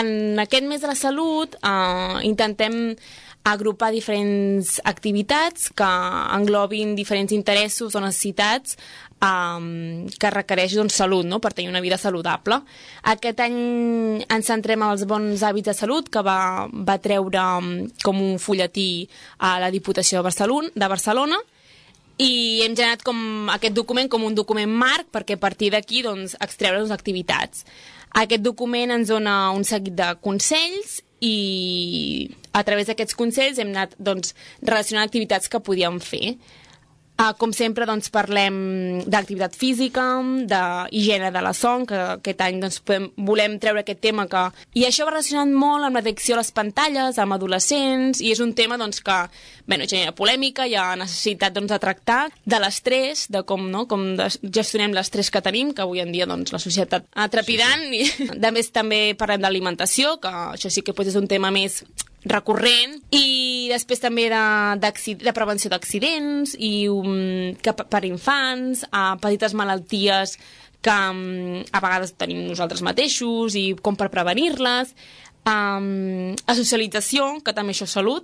En aquest mes de la salut intentem agrupar diferents activitats que englobin diferents interessos o necessitats que requereix salut, no?, per tenir una vida saludable. Aquest any ens centrem en els bons hàbits de salut, que va treure com un fulletí a la Diputació de Barcelona, i hem generat aquest document com un document marc perquè a partir d'aquí extreure les activitats. Aquest document ens dona un seguit de consells i a través d'aquests consells hem anat relacionant activitats que podíem fer. Com sempre parlem d'activitat física, d'higiene de la son, que aquest any volem treure aquest tema i això va relacionat molt amb l'addicció a les pantalles, amb adolescents, i és un tema que genera polèmica, hi ha necessitat de tractar de l'estrès, de com gestionem l'estrès que tenim, que avui en dia la societat trepidant. Sí. I a més també parlem d'alimentació, que això sí que és un tema més recurrent, i després també de prevenció d'accidents i per infants, petites malalties que a vegades tenim nosaltres mateixos i com per prevenir-les, a socialització, que també això és salut,